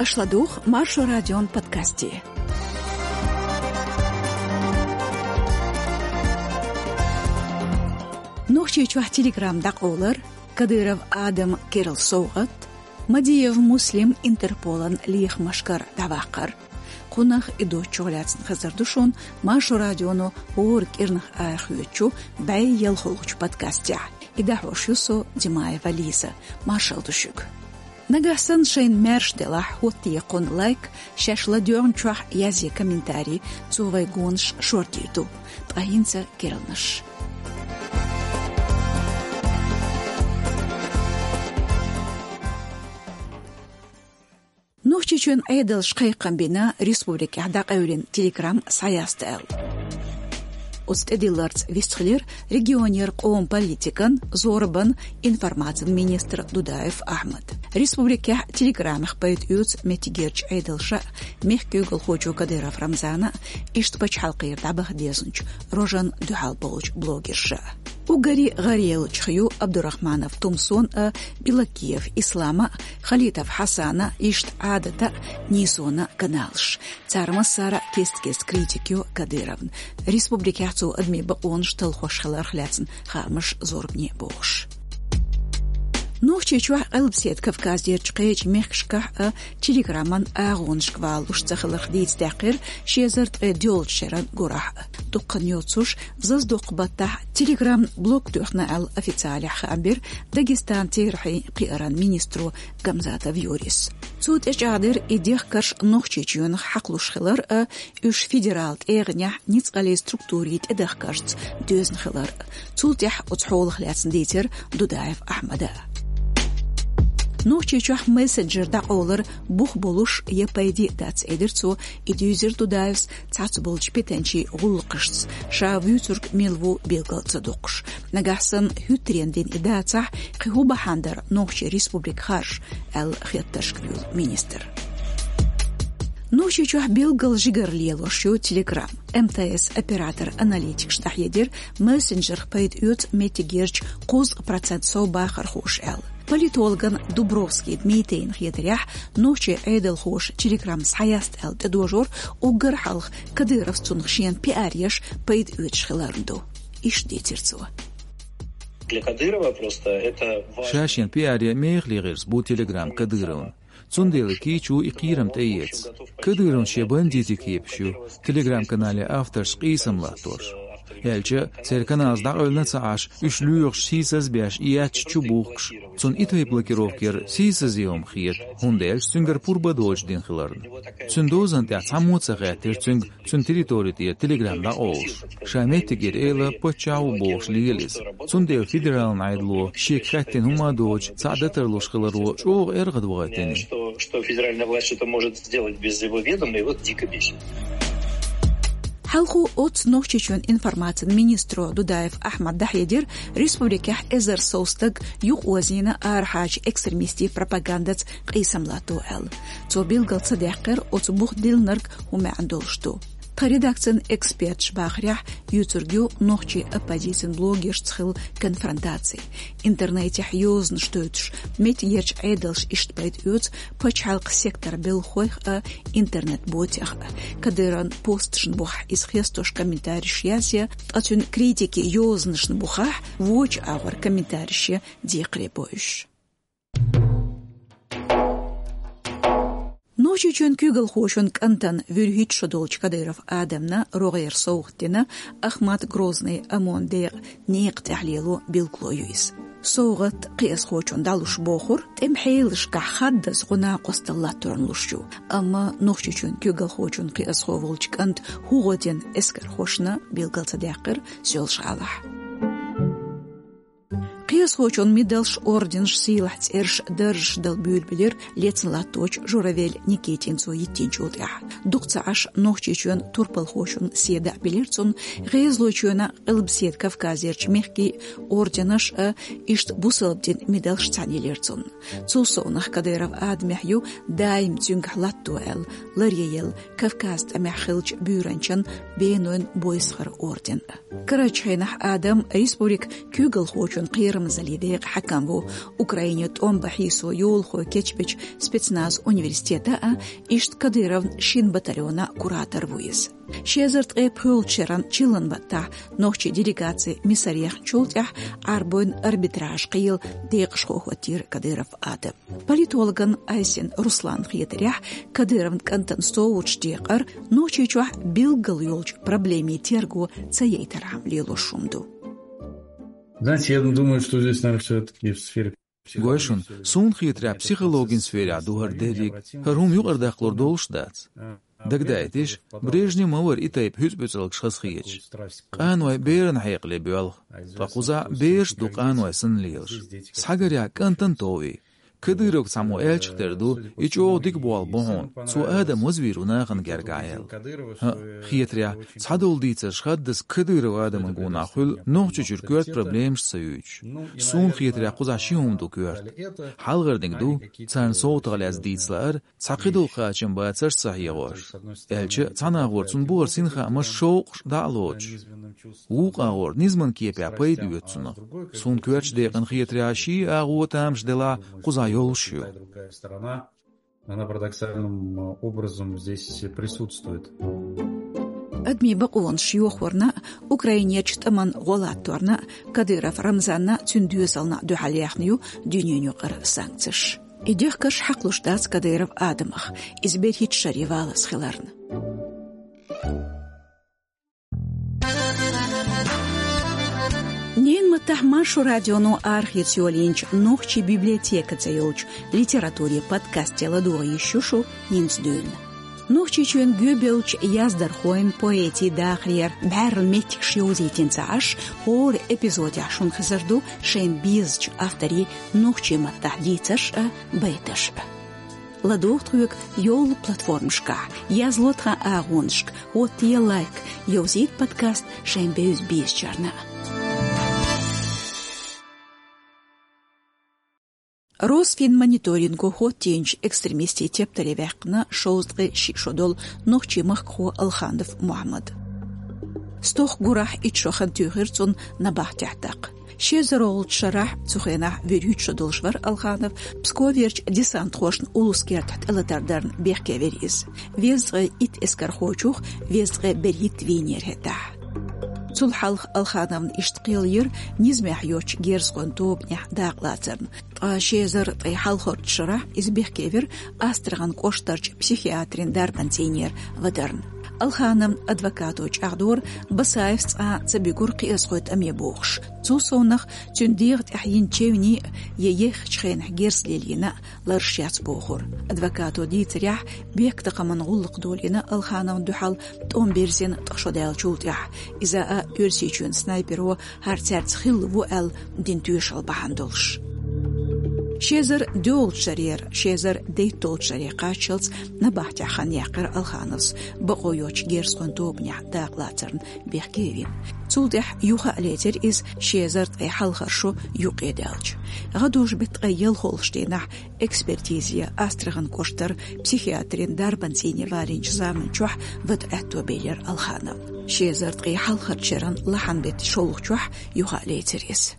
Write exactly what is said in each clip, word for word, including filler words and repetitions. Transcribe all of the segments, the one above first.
Аша ладугӀу Маршо радион подкасте. Нохчийчохь Telegram дӀакъовлар, Кадыров Адаман керла совгӀат, Мадиев Муслим Интерполан лехамашкара дӀаваккхар. Кхунах и доцчух лаьцна хезар ду шуна Маршо радионо хӀора кӀирнах арахоьцучу бӀе ялхолгӀачу подкастехь. И дӀахьош ю со, Димаева Лиза. Маршалла ду шуьга. Нагахь санна шайна маьрша делахь, хӀоттае кхунна лайк, шаьш ладоьгӀначохь язъе комментарий, цо вай гонаш шордийр ду. Ткъа хӀинца керланаш. Нохчийчоьнан Ӏедалша кхайкхам бина республикехь дӀакъевлина Telegram схьаяста аьлла. Оцу тӀедилларца вистхилира регионера къоман политикан, зорбан, информацин министр Дудаев Ахьмад. Республикехь Телеграмах пайда оьцу меттигерчу Ӏедалша, мехкан куьйгалхочо Кадыров Рамзана, иштта пачхьалкхера дӀабаха дезначу рожан дуьхьал болчу блогерша. Уггаре гӀаръеллачух ю Абдурахманов Тумсон а, Билакиев Ислама а, Халитов Хьасана а, иштта Ӏадата а, Нийсона а каналаш. Цара массара а кест-кеста критика йо Кадыровна. Республикехь цо адамийн бакъонаш талхош хиларх лаьцна хаамаш зорбане бохуш. Нохчийчохь, Къилбаседа Кавказерчу кхечу мехкашкахь а Телеграман агӀонашка валалуш ца хиларх дийца даьккхира ши эзар ткъе доьалгӀачу шеран гурахь а. Дуккха йоцуш, зазадоккху баттахь Telegram блок тоьхна аьлла официалехь хаам бира Дагестанан терахьийн кхиаран министро Гамзатов Юрис. Цо тӀечӀагӀдира и дехкарш Нохчийчоьнах хьакхалуш хилар а, уьш федерал тӀегӀанехь ницкъаллин структурийн тӀедахкаршца доьзна хилар а. Цул тӀаьхьа оцу хьолах лаьцна дийцира Дудаев Ахьмада. Нохчийчохь мессенджер дӀакъовлар бух болуш я пайде а дац, элира цо. И дуьйзира Дудаевс цхьацца болчу питанчийн гӀуллакхашца, ша вуьйцург мила ву билгал ца доккхуш. Нагахь санна хӀуьттаренна дина и дацахь, кхин хӀун бахьана дара нохчийн республика харжа, аьлла хеттаршка луьйла министр. Нохчийчохь билггал жигара лелош ю Telegram. МТС операторан аналитикаша дӀахьедира, мессенджерах пайда оьцу меттигерчу кхузткъа процент сов бахархоша аьлла. Политологна Дубровский Дмитрийна хетарехь, нохчийн Ӏедалхоша Telegram схьаяста аьлла тӀедожор уггар хьалха Кадыровс цунах шена пиар еш пайда оьцуш хиларна ду. Иштта дийцира цо. Для Кадырова просто это важно. Ша шена пиар ян мехала гӀирс бу Telegram Кадыровна. Цундела кийчо и кхерам тӀеэца. Кадыровн шен бандитийн кепаш ю, Telegram-канале авторш къийсам латтош. Аьлча, церан каналаш дӀакъевлина ца Ӏаш, уьш лоьхуш, сийсаз а беш, и яьчча чу бухкуш. Цунна и тайпа блокировка яр сийсазе хӀума хета, хӀунда аьлча цуьнгара пурба доцуш дина хиларна. Цуьнан дозанна тӀехь цхьаммо а ца хаьттира цуьнга, цуьнан территори тӀера Telegram дӀакъовлуш. Ша меттигера эла паччахь ву бохуш лела иза. Цундела федералан Ӏедало шега хаьттина хӀума а доцуш, цхьаъ дан тарлуш хиларо чӀогӀа эргӀадвахийтина. Что, что федеральная власть это может сделать без его ведома, его дико бесит. Хьалхо оццу Нохчийчоьнан информацин министро Дудаев Ахьмада дӀахьедира, республикехь эзар сов стаг юкъаозийна арахьарчу экстремистийн пропагандаца къийсам латто аьлла. Цо билгал ца даьккхира, оцу бух диллинарг хӀун маьӀна долуш ду. Тхан редакцин эксперташа бахарехь, юьйцург ю нохчийн оппозицин блогершца хилла конфронтаци. Интернетехь йозанаш дойтуш, меттигерчу Ӏедалша иштта пайда оьцу пачхьалкхан сектор белхалойх а, интернет-ботех а. Кадыровн посташна бухахь иза хестош комментарийш язъе, ткъа цуьнан критикин йозанашна бухахь вочу агӀор комментарийш ян декхаре бо уьш. Нохчийчоьнан куьйгалхочун кӀантана вуьрхӀитта шо долчу Кадыров Адамна рогӀера совгӀат дина Ахмат Грозныйн ОМОН декъан некъа тӀехь лело билгало ю иза. СовгӀат кхиазхочунна дӀалуш бохура, тӀеман хьелашкахь хаддаза гӀо-накъосталла латторна луш ю, амма Нохчийчоьнан куьйгалхочун кхиазхо волчу кӀанта хӀун гӀо дина эскархошна, билгал ца даьккхира Соьлжа-ГӀалахь. Кхиазхочун медалш, орденаш, сийлахь цӀераш, даржаш дала буьйлабелира лецна латточу Журавель Никитин цо йиттинчул тӀаьхьа. Дукха ца Ӏаш Нохчийчоьнан турпалхочун седа а билира цунна, ГӀезалойчоьнан, Къилбаседа Кавказерчу мехкийн орденаш а, иштта бусалба динан медалш цхьаьна елира цунна. Цул совнаха Кадыров Адамехь ю даим цуьнгахь латто аьлла ларъелла Кавказан тӀамехь хиллачу буьйранчин Бенойн Бойсхаран орден. Карарчу хенахь Адам республикан куьйгалхочун кхерам Залидеев хьакам ву, Украине тӀом бахьийсо йолахой кечбеча спецназ университета а, иштта Кадыровн шин батальона куратор ву иза. Ши эзар ткъе пхоьалгӀача шеран чиллан баттахь нохчий делегаци Мисар яхначул тӀаьхьа Ӏарбойн арбитраж кхийла декъашхо хӀоттийра Кадыров Адам. Политологан Айсин Руслан хетарехь, Кадыровн кӀантан совгӀаташ декъар Нохчийчохь билггал йолчу проблемийн терго ца яйтархьама лелош хӀума ду. Знаете, я думаю, что здесь, наверное, всё-таки в сфере психологии. Гой шуна, суна хетарехь, психологин сферехь ду хӀара дерриг, хӀара хӀума юкъара даккхалур долуш дац. Дагадайташ, Брежнев ма вара и тайпа хӀуьцу-пӀуьцӀалгаш хазахеташ. Къаной беран хьекъале боьлху, ткъа кхузахь бераш ду къаной санна лелаш. Схьагарехь кӀантана тов и. Кадыровга цхьаммо аьллачух тера ду, и чӀогӀа дика болх бу хьуна, цо Адам вазвийр ву нахана гергахь аьлла. ХӀаъ, хетарехь, цхьадолу дийцарш хаддаза Кадыров Адаман гонах хуьлу Нохчийчуьра коьрта проблемаш ца юьйцуш. Суна хетарехь, кхузахь ши хӀума ду коьрта. Хьалхарниг ду, царна совгӀатах лаьцна дийца лаар, цхьа кхидолу кхачам бацарш ца хьегӀош. Аьлча, цхьана агӀор цунна бу хӀара синхаамаш, шовкъаш дӀа а лоцуш. Вукху агӀор низаман кепехь пайда оьцу цунах. Суна коьртачу декъана хетарехь, ши агӀо тамаш делахь, кхузахь йолуш ю. Она парадоксальным образом здесь присутствует. Адамийн бакъонаш йохорна, Украинерчу тӀаман гӀо латторна, Кадыров Рамзанна, цуьнан доьзална дуьхьал яьхна ю дуьненаюкъара санкцеш. И дехкарш хьакхалуш дац Кадыров Адамах, иза берхӀитта шаре валлалц хиларна. Ненан маттахь Маршо радионо арахеца йолийначу «Нохчийн библиотека» цӀе йолчу литературин подкасте ладогӀа йиш ю шу хӀинца дуьйна. Нохчийчоьнан гоьбевллачу яздархойн, поэтийн дахарера бӀаьрла меттигаш йовзийтина ца Ӏаш, хӀора эпизодехь шуна хезар ду шайна безачу авторийн нохчийн маттахь дийцарш а, байташ а. ЛадогӀа тхоьга йолу платформашкахь, язло тхан агӀонашка, хӀоттае лайк, йовзийта подкаст шайн бевза-безачарна. Росфинмониторинго хӀоттийначу экстремистийн тептаре ваьккхина шовзткъе шиъ шо долу нохчийн махкахо Алханов Мухьаммад. Стохка гурахь итт шо хан туьйхира цунна набахтехь даккха. Ши эзарлагӀчу шарахь, цу хенахь вуьрхӀитта шо долуш вара Алханов, Псковерчу десантхошна улус кертахь тӀелатар дарна бехке вира иза. Везткъе итт эскархочух везткъе берхӀитта вийнера хӀетахь. Цул хьалха Алхановна иштта кхел йира низамехь йоцчу герзахойн тобанехь дакъалацарна. Ткъа ши эзар ткъе хьалхарчу шарахь иза бехке вира Астрахань кӀоштарчу психиатрийн дарбан цӀийнера вадарна. Алхановн адвокато чӀагӀдора, Басаевс цкъа а ца бигура кхиазхойн тӀаме бохуш. Цул совнаха, цуьнан дегӀа тӀехь йина чевнийн а, я еххачу хенахь герз лелийна а лараш яц бохура. Адвокато дийцарехь, бехктакхаман гӀуллакх долийна Алхановна дуьхьал тӀом бирзина ткъа шо даьллачул тӀаьхьа. Иза а Оьрсийчоьнан снайперо хӀара цаьрца хилла ву аьлла дина тоьшалла бахьана долуш. Ши эзар доьалгӀачу шарера ши эзар дейтталгӀачу шаре кхаччалц набахтехь хан яьккхира Алхановс, бакъо йоцчу герзахойн тобанехь дакъалацарна бехке а вина. Цул тӀаьхьа юха а лецира иза ши эзар ткъе хьалхара шо юккъе даьлча. ГӀадужу-беттан ткъе ялхолгӀачу дийнахь экспертизе Астрахань кӀоштара психиатрийн дарбан цӀийне валийначу заман чохь вада аьтто белира Алхановна. Ши эзар ткъе хьалхарчу шеран лахьан-беттан шолгӀачохь юха а лецира иза.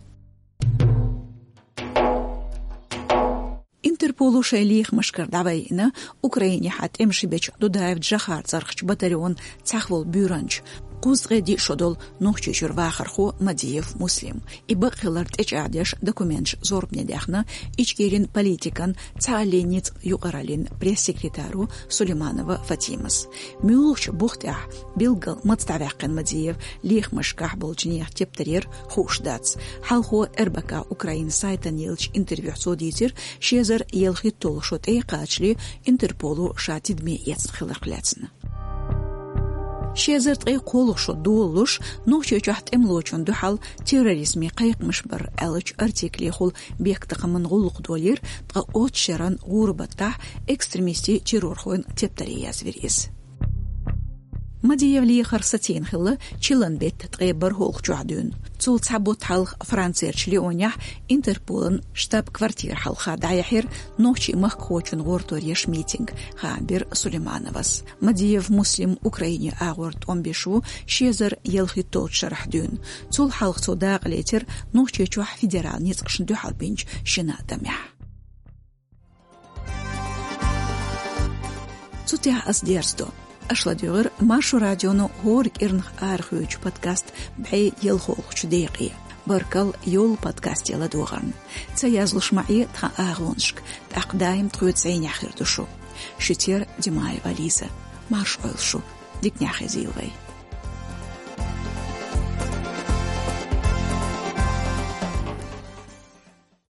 Интерполо шайн лехамашкара дӀавайина Украинехьа тӀемаш бечу Дудаев Джохар цӀарахчу батальонан цхьаьхволу буьйранча, кхузткъе диъ шо долу Нохчийчуьра вахархо Мадиев Муслим. И бакъ хилар тӀечӀагӀдеш документаш зорбане даьхна Ичкерин политикан, цхьааллин ницкъ юкъараллин пресс-секретаро Сулейманова Фатимас. Муьлхачу бух тӀехь, билггал маца дӀаваьккхина Мадиев лехамашкахь болчу нехан тептарера, хууш дац. Хьалхо РБК Украина сайтана еллачу интервьюхь цо дийцира, ши эзар ялхитталгӀа шо тӀе а кхачале, Интерполо ша тидаме эцна хиларх лаьцна. Ши эзар ткъе кхоалгӀа шо долалуш, Нохчийчохь тӀемалочунна дуьхьал терроризман кхайкхамаш бар аьллачу артиклехула бехктакхаман гӀуллакх долийра ткъа оццу шеран гӀуран баттахь экстремистийн, террорхойн тептаре язвира иза. Мадиев лехар сацийна хилла чиллан бетта ткъе бархӀалгӀачохь дуьйна. Цул цхьа бутт хьалха Францерчу Лионехь Интерполан штаб-квартира хьалха дӀаяьхьира нохчийн махкахочун гӀортор еш митинг, хаам бира Сулеймановас. Мадиев Муслим Украине агӀор тӀом беш ву ши эзар ялхитталгӀачу шарахь дуьйна. Цул хьалха цо дакъалецира Нохчийчохь федерал ницкъашна дуьхьал бинчу шина а тӀамехь. Цу тӀехь ас дерзадо. Аша ладуьйгӀира Маршо радионо хӀора кӀирнах арахоьцучу подкаст бӀе ялхолгӀачу декъе. Баркалла йолу подкасте ладогӀарна. Ца язлуш ма Ӏе тхан агӀонашка, тӀаккха даим тхоьца зӀенехь хир ду шу. Шуьца яра Димаева Лиза. Марша Ӏойла шу. Диканехь хезийла вай.